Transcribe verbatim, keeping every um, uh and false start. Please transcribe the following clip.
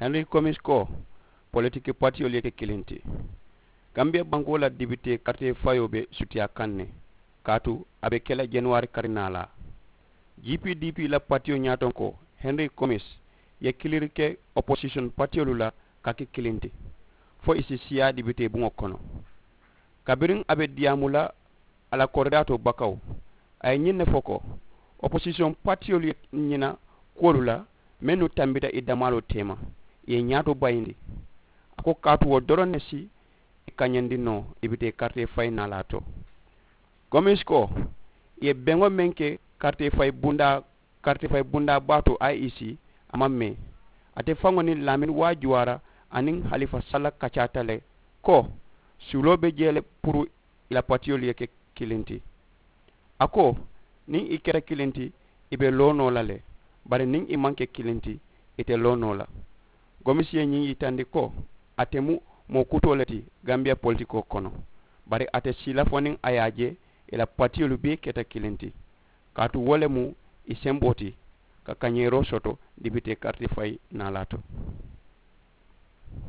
Henri komis ko, politiki patiyolu ye ke kiliŋ ti. Gambiya bankoo la dibitee karitee fayoo be sutiyaa kaŋ ne, kaatu a be ke la januwari karinaalaa. G P D P la patiyo ñaatonkoo, Henri komis, ye kiliri ke oposisiyoŋ patiyolu la ka ke kiliŋ ti, fo ì si siyaa dibitee buŋo kono. Kabiriŋ a be diyaamu la a la koridaatoo bakaw, a ye ñiŋ ne fo ko, oposisiyoŋ patiyolu ye ñina kuwolu la mennu tambita ì damaaloo teema, ì ye ñaato bayindi. A ko kaatu wo doroŋ ne si ì kañandi noo dibitee karitee fayi naalaa to. Komis ko, ì ye beŋo meŋ ke karitee fayi bundaa karitee fayi bundaa baa to, i e c, a maŋ mee. Ate faŋo niŋ laamini waajuwaara aniŋ halifa salla kacaata le, ko suuloo be jee le puru ì la patiyolu ye ke kiliŋ ti. A ko, niŋ ì keta kiliŋ ti, ì be loo noo la le. Bari niŋ ì maŋ ke kiliŋ ti, ì te loo noo la. Gomisi ye ñiŋ yitandi ko, ate mu moo kutoo le ti gambiya politikoo kono. Bari ate siila fo niŋ a ye a je ì la patiyolu bee keta kiliŋ ti. Kaatu wo le mu ì semboo ti ka kañeeroo soto dibitee karitee fayi naalaa to.